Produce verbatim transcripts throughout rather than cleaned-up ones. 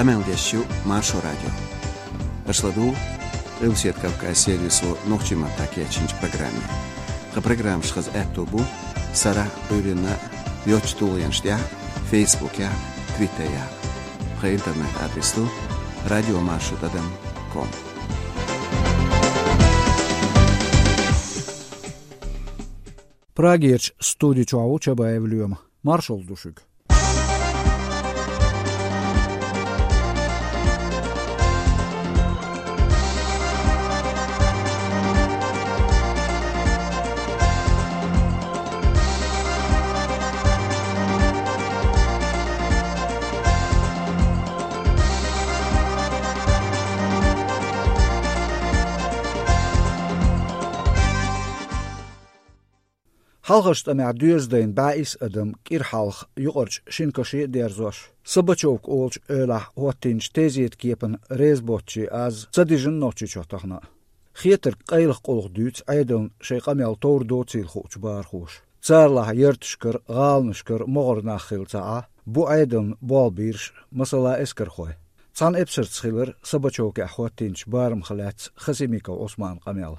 Къамел деш ю Маршо радио. Аша ладугӀу Къилбаседа Кавказ сервисо нохчийн маттахь кечйинчу программе. Тхан программаш хаза аьтто бу сарахь а, Ӏуьйранна а йоцачу тулгӀенаш тӀехь а, Фейсбукехь а, Твиттерехь а. Тхан интернет-адрес ду радиомаршо тӀадам ком. Прагерчу студи чохь ву Чабаев Лоьма. Маршалла ду шуьга. Хьалхарчу тӀамехь доьза дайна бӀе исс адам кӀира хьалха юкъарчу шина каше а дерзош, Собачевка олучу эвлахь хӀоттийначу тезета кепана реза боцчийн аз ца дижина Нохчийчохь тахана а. Хетарг къайлаха къулхьа дуьйцу Ӏедална шайн къамел товр доцийла хуучу бахархоша. Царалахь ярташкара, гӀаланашкара могӀара нах хилла ца Ӏа, бу Ӏедална болх бийраш, масала, эскархой. Цхьана эпсарца хилира Собачевкехь хӀоттийначу барамах лаьцна Хасимиков Ӏусманан къамел.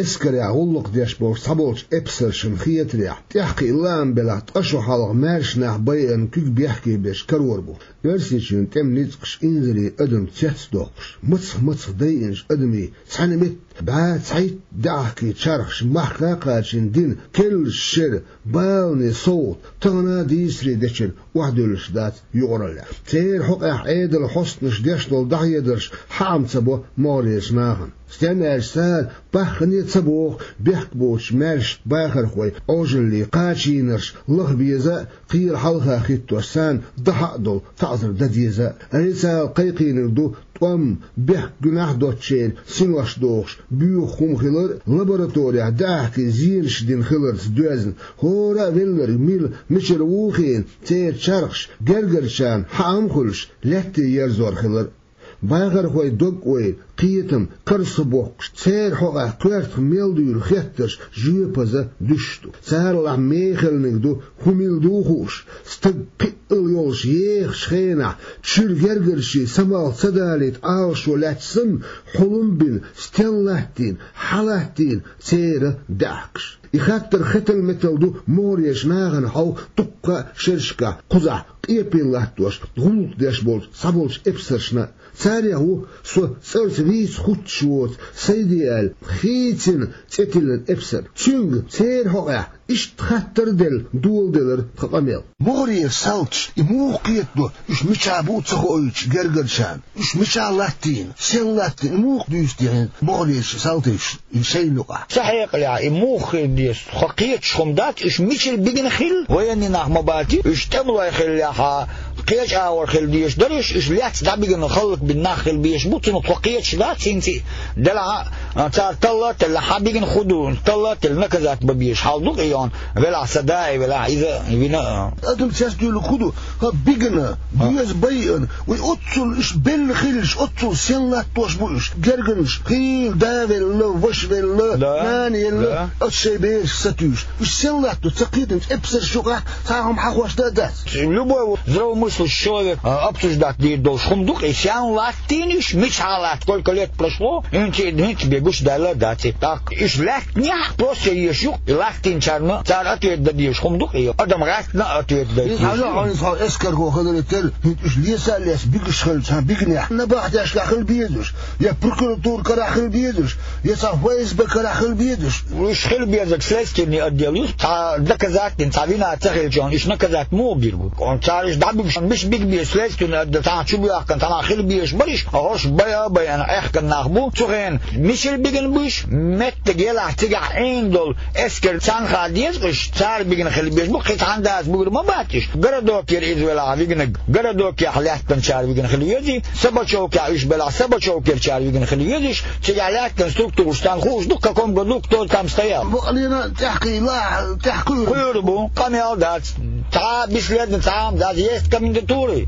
Эскарехь гӀуллакх деш болчу цхьаболчу эпсаршна хетарехь, тӀаьхьакхиъна лаам белахь, ткъа шо хьалха маьрша нах байина куьг бехке беш карор бу. Оьрсийчоьнан тӀеман ницкъаша инзаре адам цецдоккхуш, мацах-мацах дайинчу адамийн цхьаьна метта бӀе цхьайтта даьӀахкийн чархаш махка а кхачийна дина, керлачу шеран баланийн совгӀат тахана а дийцаре дечуьра охьадуьллуш дац юкъараллехь. Церан хьокъехь Ӏедалан хьостанаша деш долу дӀахьедарш хьаам ца бо могӀарерчу нахана. Стенна аьлча, цара баххане а ца боху бехк боцучу маьршачу бахархойн Ӏожаллин кхачийнарш лаха беза а, кхелан хьалха хӀиттош царна дахьа а долу таӀзар дан деза а. Официалан кхайкхийнарг ду тӀом, бехк, гуьнахь доцучеран синош дохуш боьха хӀума хилар а, лабораторехь даьӀахкийн зенаш дина хиларца доьзна, хӀора а велларг мила, мичара ву хиъна, церан чархаш гергарчарна хьаам а хуьлуш, лаьтте ерзор хилар а. Бахархойн дог-ойла, кхетам карзахбоккхуш, церан хьокъехь коьртах мел дуьйлу хеттарш жоьпаза дуьсуш ду. Царалахь мехалниг ду, хӀун мила ду хууш, стаг кхиъал йолуш ехачу хенахь, чуьра гергарчийн самалх ца далийта Ӏалашо лаьцна санна, хьулам бина, стен латтийна, хьан латтийна церан даьӀахкаш. И хаттар хетал-метал ду могӀарерчу нахана хьовха дуккха а шерашкахь кхузахь къепе латтош, гӀуллакх деш болчу цхьаболчу эпсаршна а. Царех ву со цӀарца вийца хӀуттуш воцу Сайде аьлла хийцина цӀе тиллина эпсар. Цуьнга церан хьокъехь иштта хаттар а делла доладелира тхан къамел. МогӀарерчу салташа и муха кхетадо, уьш мичахь бу ца хоуьйтуш гергарчарна? Уьш мичахь латтийна, сел латтийна, и муха дуьйцу техьа могӀарерчу салташа и шайна юкъахь? Сан хьекъалехь, и муха хир деза, тхо кхеташ хӀума дац, уьш мичара бигина хилла, военный нах ма бац, уьш тӀемалой хиллехьа, кхечу агӀор хила дезаш дара уьш, уьш лаьцна дӀабигина, хӀаллакбина нах хила безаш бу, цунах тхо кхеташ дац, хӀинца а делахь а, цара талла а телла, хьан бигина хӀун ду, талла а телла, наказать бан безаш хьал ду-кх и, йоьхна, велахь сан да а велахь, иза вина а. Адам цецдуьйлург хӀун ду? ХӀа, бигина, доьза байина. Вай оццул уьш белла хилча, оццул сел латтош бу уьш. Гергарнаш, хийла да велла, ваша велла, нана елла, оцу шайн берашка сатуьйсуш. Уьш сел латто ца кхетамца эпсарш юкъахь цхьа хӀума хьахош дан а дац. Любой здравомыслящий человек, а, обсуждать дийр долуш хӀума ду-кх и, сел латтийна уьш, мичахь латта, сколько лет прошло, хӀинца, хӀинца бен гуш даьлла а дац и. ТӀаккха уьш лаьттинехь просто езаш ю-кх и, латтийначарна цара ответ дан дезаш хӀума ду-кх и, адам гӀаьттина а ответ дан дезаш ю. Иза хьалха хьуна эскархо хиларе терра, хӀинца уьш леса а леца бигаш хилча, цхьана бигинехь, набахтешкахь хила безаш, я прокуратура карахь хила безаш, я цхьа ФСБ карахь хила безаш. Уьш хила безарг следственный отдел ю, цхьа доказать дина, цхьа вина ца хилча, уьш наказать муха бийр бу? Цара уьш дӀабигаш, мича бига беза следственный отдел, цхьана чу боьхкина, цхьана хила безаш бара уьш, хӀорш байа а байина, аьхкина нах бу. Цу хенахь мичара бигина бу уьш, меттиг елахь цигахь Ӏийна долу эскар, царна хаа деза уьш, цара бигина хила безаш бу, кхин цхьана дас буьгур ма бац уьш. Городокера иза велахь вигнаг, городокехь лаьттинчара вигина хила везий, Собачевкехь уьш белахь, Собачевкерчара вигина хила везий уьш, цигахь лаьттина структураш царна хууш ду, в каком году кто там стоял. Бакъалина тӀаьхкхийла, тӀаьхкхуьур. Кхуьур бу, къамел дац, цхьа а бесследно, цхьа а дац, есть комендатуры.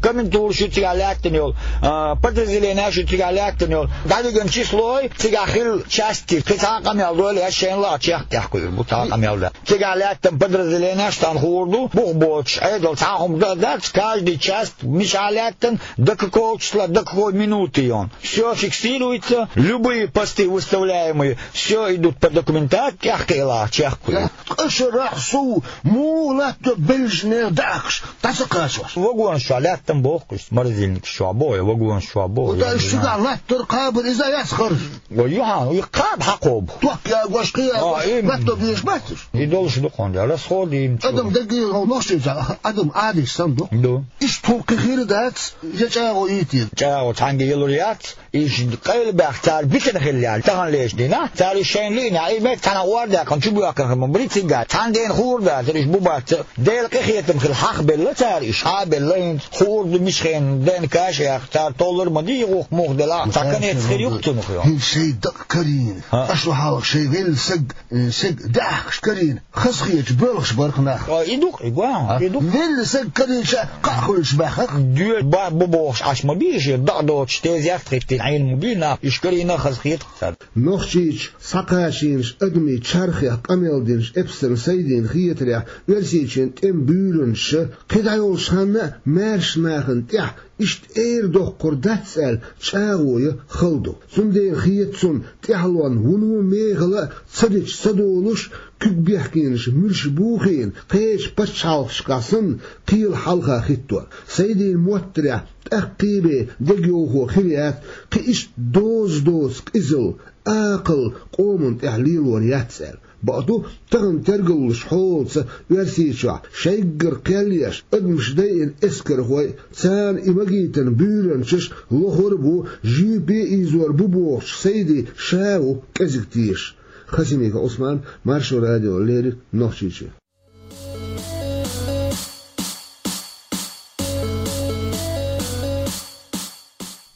комендатура шу цигахь лаьттина йолу, а, подразделенеш шу цигахь лаьттина йолу. ДӀадиган числой цигахь хилла части, кхин цхьа а къамел дойла, я шайна лаахь чехка тӀехкхуьур бу, цхьа а къамел да. Цигахь лаьттина подразделенеш тхан хуур ду, бух боцуш, Ӏедал цхьа а хӀума дан а дац, каждый часть мичахь лаьттина, до какого числа, до какой минуты йон. Всё фиксируется, любые посты выставляемые, всё идут по документации, тӀехкхиъла, чехкхуьу. Ткъа шарахь сов муха латто беллачу нехан даьӀахкаш дӀа ца кхачош? Вагонаш чохь лаьттина боху, морозильникаш чохь боху, я вагонаш чохь боху. Вот я уьш не цигахь знаю. Латтор кхабар иза яц харж. Вай юхьан, и кхаба хьакхобу. Ток ягош, кхин а, ягош, именно. Латто безаш бац уьш? И долуш ду кхунда, расходы им чу. Адам даггара нохчийчохь, адам Ӏадийша санна ду. Ду. Иштта хӀума кхин хир дац, я чӀагӀо йитийла. ЧӀагӀо цхьаьнга ялур яц. Иштта къайлабаьхна цара битина хилла яьлла, тахана лечу дийнахь, цара уьш шайна лиънехь, и меттиг цхьана ор даьккхина, чу боьхкина хир ма бу, цигахь цхьана дена хуур дацара, уьш бу бац. Делан къинхетам хилла хьахабелла цара уьш, хьахабелла хӀинца, хуур ду мича хенахь, ДНК-ш яьккха, цара толлур ма дий, гӀуллакх муха делахь а, цхьа конец хир ю-кх цунах йо. ХӀинца шайн дакъа карийна, хӀа, аш ву хьалха шайн велла саг, э, саг даьӀахкаш карийна, хазахеташ боьлхуш бара-кх нах. А, и ду-кх, и гуо, а? И ду-кх. Велла саг карийча, кхаъ хуьлуш баьхна-кх. Доьза ба-, бу бохуш Ӏаш ма бий, шен дакъа доцуш, тезет хӀиттийна Ӏийна ма бий нах, уьш карийна хазахета-кх цара. Нохчийчу схьакхачийнаш адамийн чархех къамел динчу эпсарна Сайдина хетарехь, Оьрсийчоьнан тӀеман буьйранчаша кхин дӀайолчу ханна а маьрша нахана тӀехь иштта эр доккхур дац аьлла, чӀагӀо ян хала ду. Цундела хета цунна, тӀаьхьалонна вуно мехала а ца дича ца долуш, куьг бехкенаш муьлш бухийна, кхечу пачхьалкхашкахь санна, кхела хьалха хӀиттор. Сайдина моттарехь, тӀаккхий бен дегайовхо хир яц, кхин иштта доза доцу къизалла, акхалла къоман тӀехь лелор яц аьлла. Бакъду, тахана тергаллаш хьолаца Оьрсийчохь шайггара кхел еш адамаш дайина эскархой, царна и магийтина буьйранчаш лохур а бу, жуьпе а ийзор бу бохучу Сайди ша а ву кӀезиг тешаш. Хасимиков Ӏусман, Маршо радиона леррина, Нохчийчоь.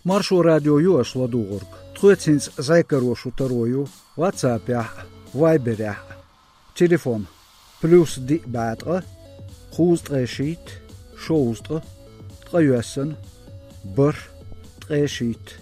Маршо радио ю аша ладугӀург. Тхоьца хӀинца зӀе каро шун таро ю WhatsApp-ехь а, Viber-ехь а. Телефон: плюс диъ бӀе ткъа, кхузткъе шийтта, шовзткъа, ткъайоьсна, бархӀ, ткъе шийтта.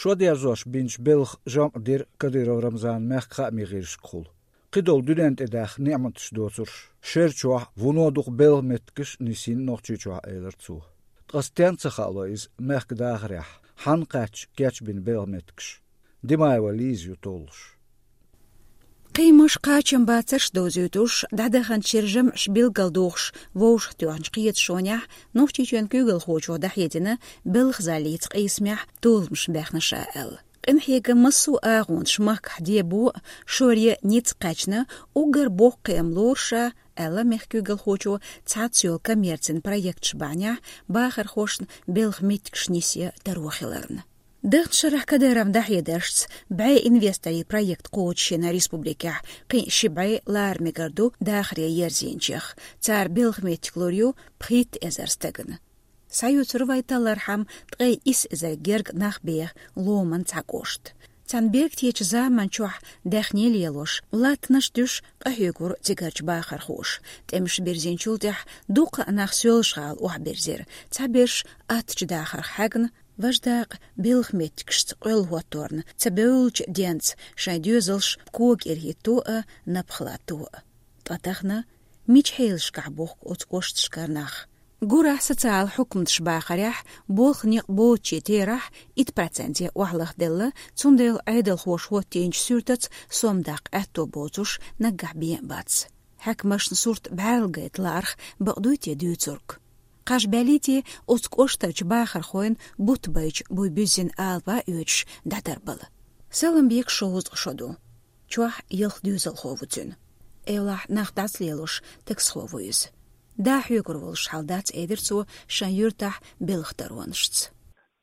Шо дерзош бинчу белхан жамӀ дира Кадыров Рамзанан мехкан хаамийн гӀирсашкахула. Кхидолу дуьненна тӀедаьхна неӀматаш доцурш, шер чохь вуно дукха белхан меттигаш а нисйина Нохчийчохь, элира цо. Ткъа стенна ца хаало иза мехкан дахарехь, хьанна кхаьчча кечбина белхан меттигаш? Димаева Лиза ю толлуш. Кхин а маша кхачам бацарш а довзуьйтуш, дӀадаханчу шеран жамӀаш билгалдохуш вовшахтоьхначу кхеташонехь Нохчийчоьнан куьйгалхочо дӀахьедина белхан заллица къийсамехь толамаш баьхна ша аьлла. Къинхьегаман массо а агӀонаш махкахь дебо а, шоръян а ницкъ кхаьчна, уггар боккха кхиам лору ша, аьлла мехкан куьйгалхочо цхьацца йолу коммерцин проекташ бахьанехь бахархошна белхан меттигаш нисъян таро хиларна. Дахначу шарахь Кадыровн дӀахьедаршца, бӀе инвесторийн проект кхочушйина республикехь, кхин а ши бӀе лара мегар ду дахаре ерзийначех. Цара белхан меттиг лур ю пхийтта эзар стагана. Схьаюьйцур вай таллархьама ткъе исс эзар гергга нах беха ломан цхьа кӀошт. Царна бергтечу заманчохь даьхни лелош, латтанаш дуьсуш къахьоьгура цигарчу бахархоша. ТӀемаш бирзинчул тӀаьхьа дуккха а нах Соьлжа-ГӀала охьабирзира, цхьаберш аттачу дахарх хьаьгна, важа дакъа белхан меттигашца къоьлла хӀотторна, ца бевллачу денца шайн доьзалш кога ирахӀитто а, напха латто а. Ткъа тахана мича хьелашкахь бохку оцу кӀошташкара нах? Гурахь социал хьукматаш бахарехь, болх некъ боцучийн терахь итт проценте охьалахделла, цундела Ӏедалхоша хӀоттийначу суьртаца сом даккха аьтто боцурш наггахь бен а бац. Хьаькамашна сурт бӀаьрла гайта лаарх бакъ дуй те дуьйцург? Кхаж баьллий те оцу кӀоштарчу бахархойн бутт байчу буй буьззина алапа оьцуш дӀатарбала? Саламбекан шовзткъа шо ду. Чохь ялх доьзалхо ву цуьнан. Эвлахь, нах дӀасалелош таксхо ву иза. Да хьоьгур волуш хьал дац, элира цо, шайн юьртахь белхан таронашца.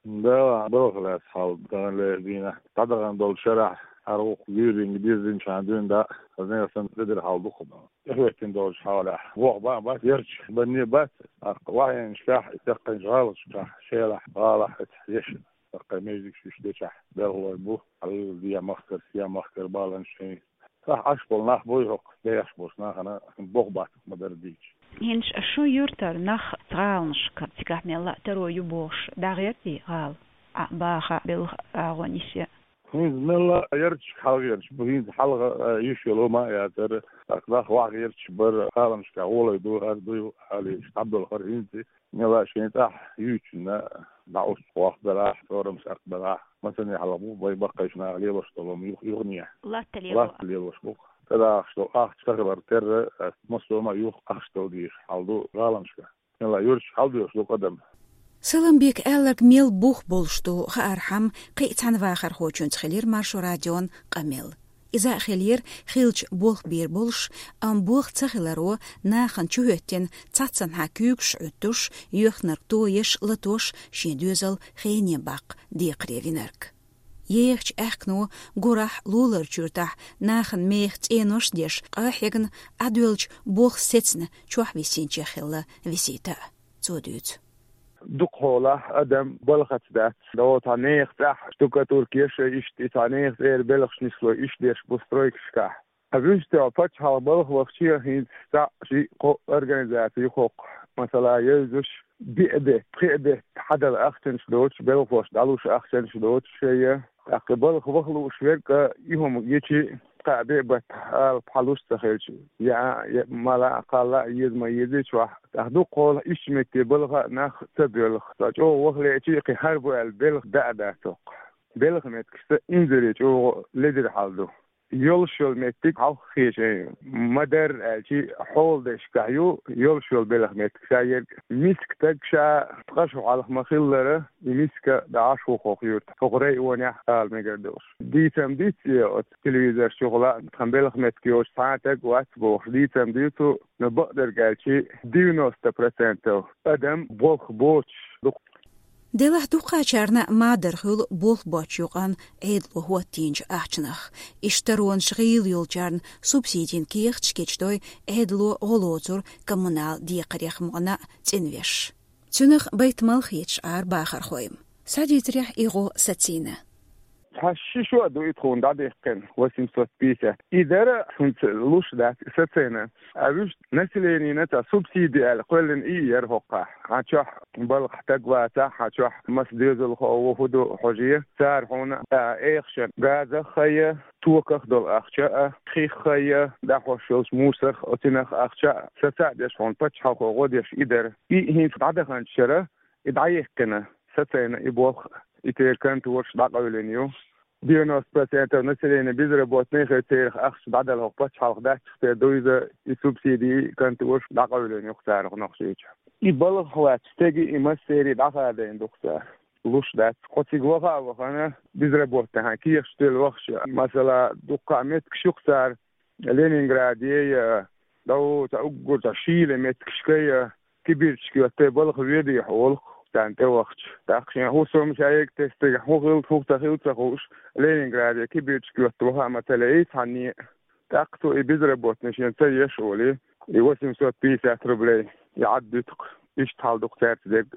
Да, балха лаьцна хьал, таханлера дийнахь дӀадахана долчу шарахь, хӀара вукху луьйриг бирзинчхьана дуьйна дӀа, хаза нехан санна, тӀедира хьал дукха бан. ТӀехӀоьттина долчу хьалахь, воху бан бац, ярча банне бац, тӀаккха вахьйинчохь, и тӀекхайчу гӀалгӀашкахь, шелахь, гӀалахь, эцахь ешна. ТӀаккха мезигаш уьш дечахь, белхалой бу, хьалха Ден махкара, Сен махкара баланаш шайн. Тахь Ӏаш болу нах буй хӀокху, дехаш болуш нахана боху баттах ма-дарра дийча. ХӀинца шун юьртара нах гӀаланашка цигахь мелла а таро ю бохуш, дӀагӀертий гӀала? Ӏа баха белхан агӀо нисъян. ХӀинца мелла а ярташка хьалхарча бу, хӀинца хьалха, а, йиш йолу ма а яцара, тӀаккха нах вахарча бара, гӀаланашка гӀоле ду, хӀара ду, аьлла, иштта дӀабелхара хӀинца. Мелла а шайн тӀехь юьйцунна дӀаусту гӀохь белахь, цӀорамаш атта белахь, масане хьалха бу вай баккхийчу наха лелош долу юх-, юхане. Латта лело. Латта лелош бу. ТӀедагӀаш долу ахча ца хилар терра, массо а ма юха ахча дала дийша хьал ду гӀаланашка. Мелла а юьрташ хьалдоьхуш ду къа адам. Саламбека аьлларг мел бух болуш ду хаархьама, кхин а цхьана вахархочуьнца хилира Маршо радион къамел. Иза а хилира хиллачу болх бийр болуш, амма болх ца хиларо нахана чухӀоьттина цхьаццанхьа куьйгаш Ӏуьттуш, йоьхнарг тоеш, латош, шен доьзал хене баккха декхаре винарг. Ехачу аьхкано гурахь луларчу юьртахь нахана меха цӀенош а деш, къа а хьегна, Ӏадоьллачу болх сецна чохь висинчех хилла Висита а. Цо дуьйцу. Дукхахьолахь адам балхаца дац, догӀу цхьа нехан цӀахь штукатурка еш а, иштта и цхьа нехан цӀера белхаш нисло, иштта деш бу стройкашкахь. Ткъа вуьшта пачхьалкх балха вахча а хӀинца цхьаъ, шиъ, кхоъ организаци ю хӀокху, масала, евзаш, биъ бетта, пхиъ бетта хьадала ахчанаш доцуш, белхалоша дӀалуш ахчанаш доцуш шайга. ТӀаккха балха ваха лууш верг а, и хӀума гичи, кхаа-биъ баттахь алапа хьалуш ца хилча, яа а, я мала а, кхалла а еза ма еза чохь, тӀаккха дукхахьолахь иштта метте балха а нах ца боьлху. Ткъа чӀогӀа ваха леъчи, кхин хӀара бу аьлла белха даа а дац хӀокху. Белхан меттигашца инзаре чӀогӀа ледара хьал ду. Йолуш йолу меттиг хьалха хешан ю. Ма-дарра аьлчи, хьоладешкахь ю йолуш йолу белхан меттиг. Ша ерг миска стаг ша ткъа шо хьалха ма-хиллара, и миска дӀа Ӏаш ву хӀокху юьртахь, хӀокху районехь ала мегар долуш. Дийцам ду-кх, оцу телевизорш чухула а, тхан белхан меттиг йоцуш цхьа а стаг вац бохуш, дийцам ду цо, но бакъдерг аьлчи, девяносто процентов адам болх боцуш ду. Делахь дукхачарна ма-дарра хуьлу болх боцчу юкъанна Ӏедало хӀоттийначу ахчанах. Иштта таронаш гӀийла йолчарна субсидийн кехаташ кечдой, Ӏедало гӀо лоцура коммунал декхарех мукъана а цӀинвеш. Цунах байтамал хеташ Ӏара бахархой. Схьадийцарехь, и гӀо сацийна. Цхьа ши шо а ду и тхуна дӀадаьккхина, восемьсот пятьдесят. И дара хӀинца луш дац, сацийна. А вуьшта населенина цхьа субсиди аьлла кхоьллина и яра хӀокхахь. Хьан чохь балха стаг вацахь, хьан чохь маса доьзалхо ву, хӀун ду хьожий, цара хьуна, а, эхашан газах а хайя, токах долу ахча а, хих а хайя, дӀахьош йолчу мусарх, оцинах ахча а, саца а деш хьуна пачхьалкхо гӀо деш и дара. И хӀинца дӀадаханчу шарахь и дӀаяьккхина, сацийна и болх, и тера контораш дӀакъевлина ю. Девяносто процентов населения безработные хир, церах ахча дӀадала хӀокху пачхьалкх дац, церан ду иза, и субсиди, и контораш дӀакъевлина ю-кх царах Нохчийчу. И балхах лаьцна стеги и массерий дӀахадийна ду-кх цара. Луш дац. Кхо цига ваха а вахана, безработный хьан кехаш тилла вахча, масала, дуккха а меттигаш ю-кх цара, Ленинграде я, дӀо цхьа уггар цхьа шийла меттигашка я, кибирчка йотта балха ведий хьо олу-кх царна тӀевахча. ТӀаккха шен хӀусам ша ерг тестиг хӀун хилла, хӀун ца хилла ца хууш, Ленинграде кибирчка йотта ваха а ма ца лаьий цхьанне а. ТӀаккха цо и безработный шен ца еш олий, и восемьсот пятьдесят рублей, и Ӏаддуьту-кх, иштта хьал ду-кх цаьрца дерг.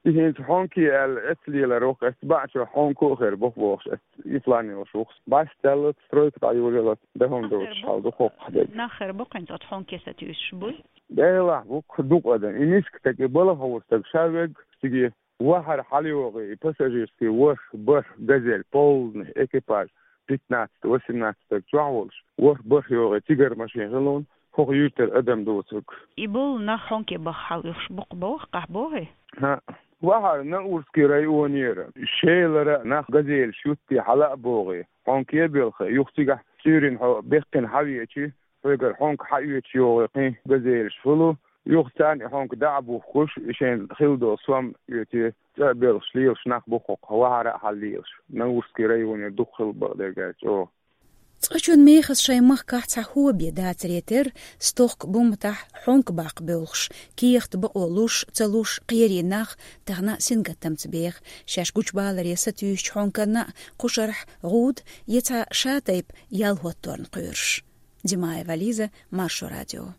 И хӀинца хьонке аьлла эцлелар ву-кх, эцу баьччо хьонко а хир бу-кх бохуш, эцу и план йолуш ву-кх. Бац, цаьллац, стройка дӀайолаялац, дахам доцуш хьал ду хӀокху дерг. Нах хир бу-кх хӀинца оцу хьонке сатуьйсуш буй? Делахь бу-кх дукха адам. И миска стаг, и балха гӀур стаг ша верг циге вахара хьалайогӀий, и пассажирский ворхӀ, бархӀ газель, полный экипаж, пятнадцать, восемнадцать стаг чохь волуш, ворхӀ, бархӀ йогӀий цигара машен хилла хӀокху юьртара адам доцург. И болу нах хьонке баха хьалоьхуш бу-кх боху, къахьбохий? ХӀаъ. Вахара Наурский районера, Шелара нах газелаш юттий хьала а богӀий, хьонке а белхий, юха цигахь Цуьрин хьо беккхина хьавеачий, хьоьгара хьонка хьаоьцуш йогӀий кхин газелаш хуьлу, юха царна и хьонка дӀа а бухкуш, и шайна хилла долу сом оьций, цӀа а белхаш лелаш нах бу-кх хӀокху, вахара а хьал лелаш. Наурский районера дукха хилла бакъдерг аьлча чӀогӀа. Цкъачунна мехас шайн махкахь цхьа хӀоа бен дацаре терра, стохка бумматахь хьонка баккха боьлхуш, кехат бакъо луш, ца луш кхерий нах тахана сингаттамца беха, шаьш гучубаларе сатуьйсучу хьонканна а кхушарахь гӀуда я цхьа шатайпа ял хӀотторна кхоьруш. Димаева Лиза, Маршо радио.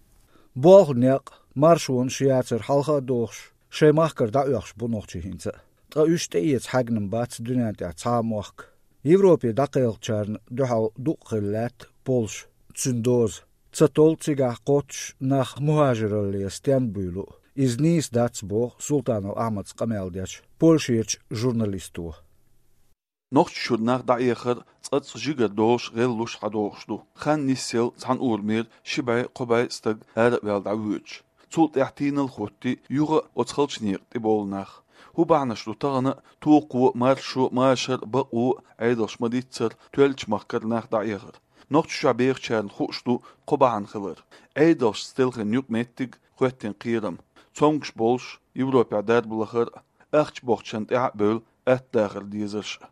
Болх, некъ, маршонаш яцара хьалха а дохуш, шайн махкара дӀаоьхуш бу нохчий хӀинца а. Ткъа уьш тӀеэца хьаьгна-м бац дуьнен тӀехь цхьа а мохк. Европе дӀакхелхачарна дуьхьал дукъ хилла лаьтта полш. цуьнан доза. Ца толлу цигахь кхоччуш нах мухӀажиралле стенна буьйлу. Иза нийса дац, боху Султанов Ахьмада къамел дечу Польшерчу журналисто. Нохчийчуьра нах дӀаэхар цкъацкъа жигара долуш, гӀеллуш хьадогӀуш ду. Хан нисъелла цхьана урамера ши бӀе, кхо бӀе стаг ара а ваьлла дӀавоьдуш. Цул тӀаьхьа тийналла хӀоттий юха а оцу халчу некъа тӀебовлу нах. ХӀун бахьанаш ду тахана а, тохо а, маршо а, машар а, бакъо а Ӏедалш ма-дийццара, тоьллачу махкара нах дӀаэхар? Нохчийчохь бехачарна хууш ду кхо бахьана хилар: Ӏедалшца телхина юкъаметтиг, хӀоьттина кхерам, цомгуш болуш Европехь дарба лахар а, ахча бохучарна тӀаьхьа а бевлла, атта дахар дезарш а.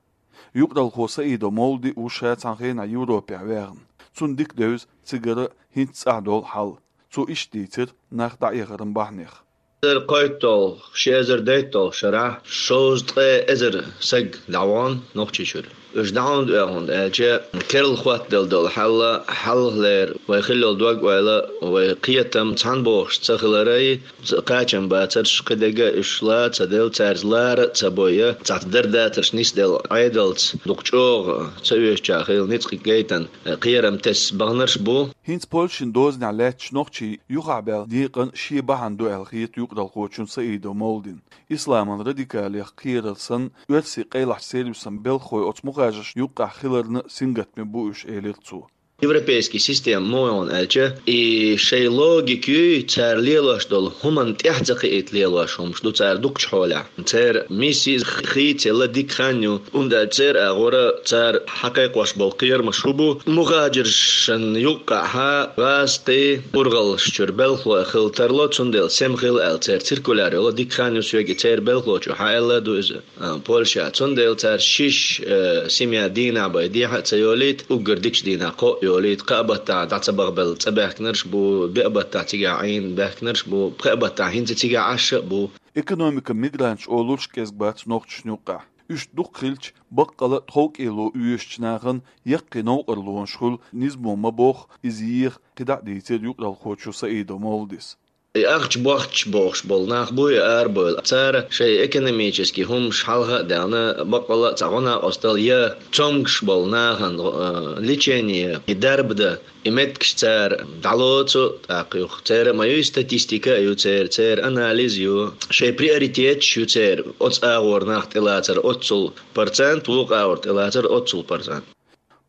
Юкъаралхо Саидов Мовлади ву ша цхьана хенахь Европехь ваьхна. Цунна дика девза цигара хӀинца цӀахь долу хьал. Цо иштта дийцира нах дӀаэхаран бахьанех. Эзар кхойтталгӀа, ши эзар дейтталгӀа шарахь шовзткъе эзар саг дӀавахана Нохчийчуьра. Уьш дӀа хӀунда оьху аьлча, керла хӀоттаделла долу хьал хьалхалера, вай хилла йолу дог-ойла, вай кхетам цхьаьна бохуш ца хиларий, кхачам бацарш, кхидерг а уьш ла ца делла, цаьрца лара а ца бойа, цхьацца дар дацарш нисделла Ӏедалца, дукха чӀогӀа ца оьшучохь хилла ницкъ гайтина, кхерам тесна баханарш а бу. ХӀинца Польшин дозанехь лаьтташ нохчий юхахь баьлла декъан шен бахьана ду аьлла хета юкъаралхочун Саидов Мовладина. Исламан радикалех кхерар санна, оьрсийн къайлахчу сервисан белхахой оцу мухӀажаршна юккъехь хиларна а сингаттаме бу уьш, элира цо. Европейский система муха ю аьлча, и шайн логика юй, цара лелош долу хӀуманна тӀаьхьа ца кхиийта лелош хӀумаш ду цара дукхачу хьолехь. Церан миссия хийцаелла дика хан ю, хӀунда аьлча церан агӀора цара хьакхайкхош болу кхерамаш хӀун бу, мухӀажаршна юккъехь гӀазкхий, урхаллаш чуьра белхалой хила тарло, цундела сема хила аьлла церан циркуляр йолу, дика хан ю соьга и церан белхалочо хьааьлла а ду иза. А, Польша. Цундела цара шиш, э, семья дийнахь бен дехьа а ца йолийта, уггар дикачу дийнахь кхоъ йолийта, кхаа баттахь дӀа ца бахабелла цӀа баьхкинарш а бу, биъ баттахь цигахь Ӏийна баьхкинарш а бу, пхеа баттахь хӀинца цигахь Ӏаш а бу. Экономикан мигранташ олурш а кӀезиг бац нохчашна юккъехь. Уьш дукха хилча, баккъала а тховкӀело оьшучу нахана яккхий новкъарлонаш хуьлу низамо ма бохху, иза еха, кхидӀа а дийцира юкъаралхочо Саидов Мовладис. И ахча бохча бохуш болу нах бу и арабевлла. Цара шайн экономический хӀумаш хьалха а даьлла, баккъала а цхьа гӀо-накъостал я цомгуш болу нахана, э, лечение, и дарба дан, и меттигаш цара дӀалоцу, тӀаккха юха церан а ма ю, статистика а ю церан, церан анализ а ю, шайн приоритеташ ю церан, оцу агӀор нах тӀелацар оццул процент, вукху агӀор тӀелацар оццул процент.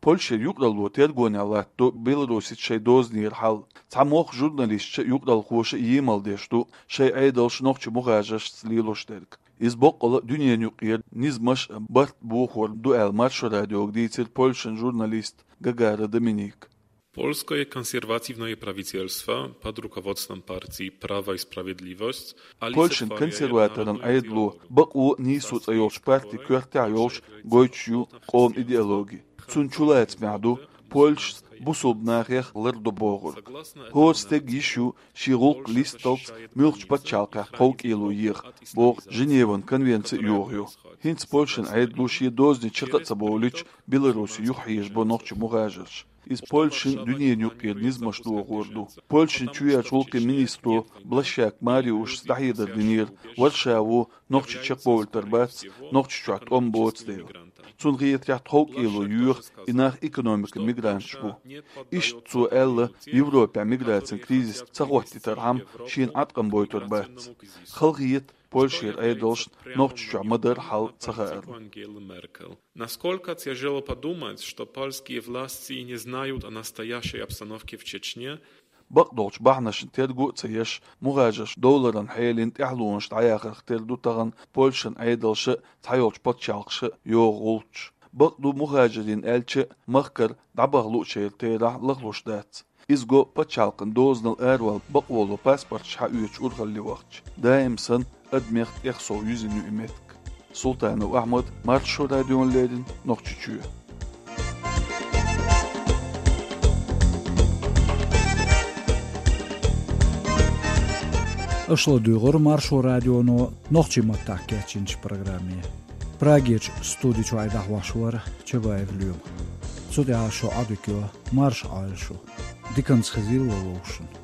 Польшера юкъаралло тергонехь латтадо Беларусица шайн дозанера хьал. Цхьа мохк журналисташа а, юкъаралхоша а емал деш ду, шайн Ӏедалша нохчийн мухӀажаршца лелош дерг. Иза боккъала а дуьненан юкъера низамаш а, барт а бохор ду аьлла, Маршо радиога дийцира Польшан журналиста Гагара Доминика. Польское консервативное правительство под руководством партии Право и справедливость Польшан консерваторан Ӏедало, Бакъо а, нийсо а цӀе йолчу партин коьртехь йолуш гойтуш ю къоман идеологи. Цунна чулацамехь ду польшаца бусулба нахех лардо бохург. ХӀора стеган йиш ю шен гӀуллакх листалц муьлххачу пачхьалкхехь тховкӀело еха, боху Женеван конвенци а йохайо. ХӀинца Польшан Ӏедало шен дозанийн чекх а ца бовлуьйтуш, Беларусе юхахьежабо нохчийн мухӀажарш. Иза Польшин дуьненан юкъера низамаш дохор ду. Польшин чоьхьарчу гӀуллакхийн министро Блащак Мариуша дӀахьедар динера, Варшаво нохчий чекхбовлуьйтур бац, Нохчийчохь тӀом боцу дела. Цунна хетарехь, тховкӀело йоьху и нах экономикан мигранташ бу. Иштта цо аьлла, Европехь миграцин кризис ца хӀоттийтархьама шена Ӏаткъам бойтур бац. Халахета Польшера Ӏедалшна Нохчийчохь ма-дарра хьал ца хаарна. Насколько тяжело подумать, что польские власти не знают о настоящей обстановке в Чечне? Бакъдолчу бахьанашна терго а ца еш, мухӀажарш довларан хьелин тӀаьхьалонаш дӀаяхарх тера ду тахана Польшан Ӏедалша а, цхьайолчу пачхьалкхаша а йогӀу гӀулчаш. Бакъду, мухӀажарийн аьлча а, махкара дӀабаха луучеран терахь лахлуш дац. Иза го пачхьалкхан дозанал аравала бакъволу паспорташ хьаоьцуш урхалле вахча. Даим санна, адамех тӀех сов юьзина ю и меттиг. Султанов Ахьмад, Маршо радиона леррина, Нохчийчоь. Аша ладуьйгӀура Маршо радионо нохчийн маттахь кечйинчу программе. Прагерчу студи чуьра дӀахьош вара Чабаев Лема. Цу тӀехь шун Ӏодика йо, марша Ӏойла шу. Диканца хезийла вовшашна.